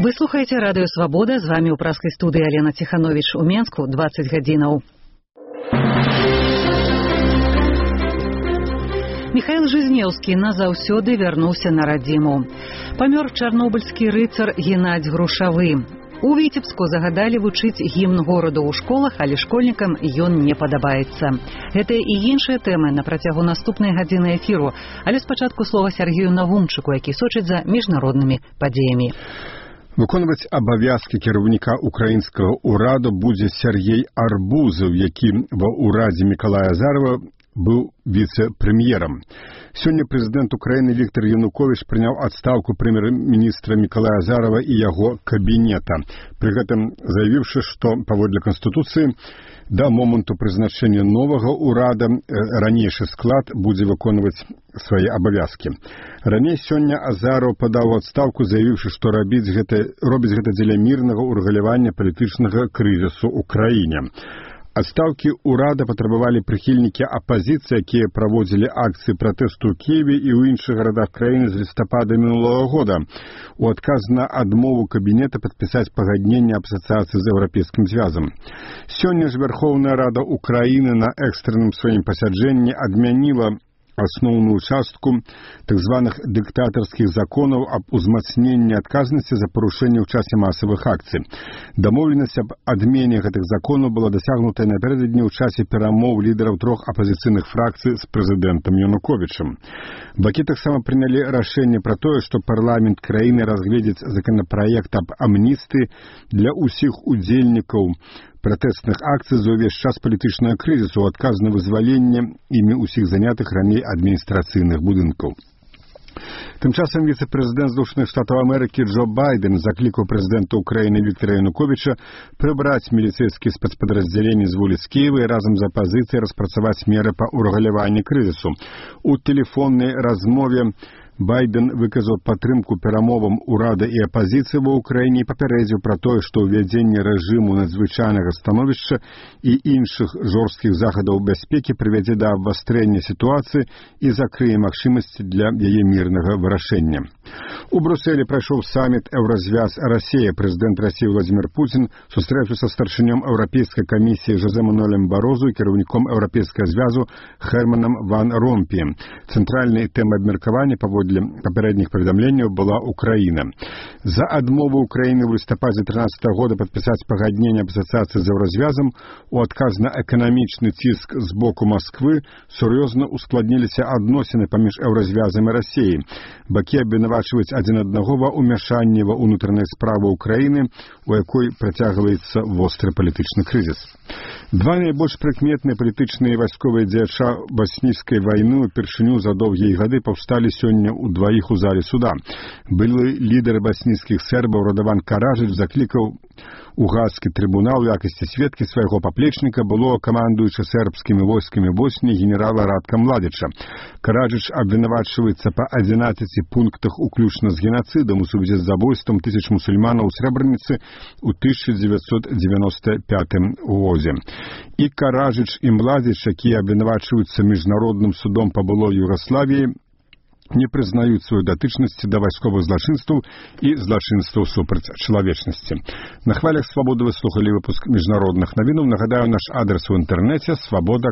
Вы слухаеце радыё Свабода, з вами ў праскай студыі Алена Ціхановіч у Менску 20 гадзінаў. Михаил Жизнеўскі назаўсёды вярнуўся на радзіму. Памёр чарнобыльскі рыцар Геннадзь Грушавы. У Віцебску загадалі вучыць гімн гораду ў школах, але школьнікам ён не падабаецца. Гэтыя і іншыя тэмы на працягу наступнай гадзіны эфіру, але спачатку слова Сергею Навумчыку, які сочыць за міжнароднымі падзеямі. Выконваць абавязкі кіраўніка украінскага ўраду будзе Сергей Арбузаў, які ва ўрадзе Мікалая Азарова быў віцэ-прэм'ерам. Сёння прэзідэнт Украіны Віктор Януковіч прыняў адстаўку прэм'ер-міністра Мікалая Азарова і яго кабінета, пры гэтым заявіўшы, што паводле Канстытуцыі да моманту прызначэння новага ўрада ранейшы склад будзе выконваць свае абавязкі. Раней сёння Азаров падаў адстаўку, заявіўшы, што робіць гэта дзеля мірнага ўрэгулявання палітычнага крызісу ў краіне. Адстаўкі ўрада патрабавалі прыхільнікі апазіцыі, якія праводзілі акцыі пратэсту ў Кіеве і ў іншых гарадах краіны з лістапада мінулага года у адказ на адмову кабінета падпісаць пагадненне аб асацыяцыі з Еўрапейскім звязам. Сёння ж Верховная Рада Украіны на экстранным сваім пасяджэнні адмяніла асноўную частку так званых дыктатарскіх законаў аб узмацненні адказнасці за парушэнне ў часе масавых акцый. Дамоўленасць аб адмене гэтых законаў была дасягнутая напярэдадні ў часе перамоў лідараў трох апазіцыйных фракцый з прэзідэнтам Януковічам. Бакі таксама прынялі рашэнне пра тое, што парламент краіны разгледзіць законапраект аб амністыі для ўсіх удзельнікаў пратэстных акцый за ўвесь час палітычнага крызісу ў адказ на вызваленне імі ўсіх занятых раней адміністрацыйных будынкаў. Тым часам віцэ-прэзідэнт Злучаных Штатаў Амерыкі Джо Байден заклікаў прэзідэнта Украіны Віктора Януковіча прыбраць міліцэйскія спецпадраздзяленні з вуліц Кіева і разам з апазіцыяй распрацаваць меры па ўрэгуляванні крызісу. У тэлефоннай размове Байден выказаў падтрымку перамовам урада і апазіцыі ва ўкраіне і папярэдзіў пра тое, што ўвядзенне рэжыму надзвычайнага становішча і іншых жорсткіх захадаў бяспекі прывядзе да абвастрэння сітуацыі і закрые магчымасці для яе мірнага вырашэння. У Брюсселі прайшоў саміт Еўразвяз-Расія. Прэзідэнт Расіі Владзімір Пуцін сустрэўся са старшынём Еўрапейскай камісіі Жозе Мануэлем Барозу і кіраўніком Еўрапейскага звязу Германам Ван Ромпіем. Цэнтральнай тэмай абмеркавання паводле папярэдніх паведамленняў была Украіна. За адмову Украіны ў лістападзе 2013 года падпісаць пагадненне аб асацыяцыі з Еўразвязам у адказ на эканамічны ціск з боку Масквы сур'ёзна ускладніліся адносіны паміж Еўразвязам і Расіяй. Бакі абвінавачваюць адзін аднаго ва ўмяшанні ва ўнутраныя справы Украіны, у якой працягваецца востры палітычны крызіс. Два найбольш прыкметныя палітычныя і вайсковыя дзеяча баснійскай вайны упершыню за доўгія гады паўсталі сёння ў дваіх у зале суда. Былы лідар баснійскіх сербаў Радаван Караджыч заклікаў у Гаагскі трыбунал у якасці сведкі свайго паплечніка было камандуючы сербскімі войскамі Босніі генерала Радка Младзіча. Караджыч абвінавачваецца па 11 пунктах уключна з геноцидам у сувязі з забойствам тысяч мусульманаў у Срэбраніцы ў 1995 годзе. І Караджыч і Младзіч, якія абвінавачваюцца міжнародным судом па былой Югаславіі, не прызнаюць сваю датычнасці да вайсковых злачынстваў і злачынстваў супраць чалавечнасці. На хвалях Свабоды вы слухалі выпуск міжнародных навінаў. Нагадаю, наш адрес у інтэрнэце свабода.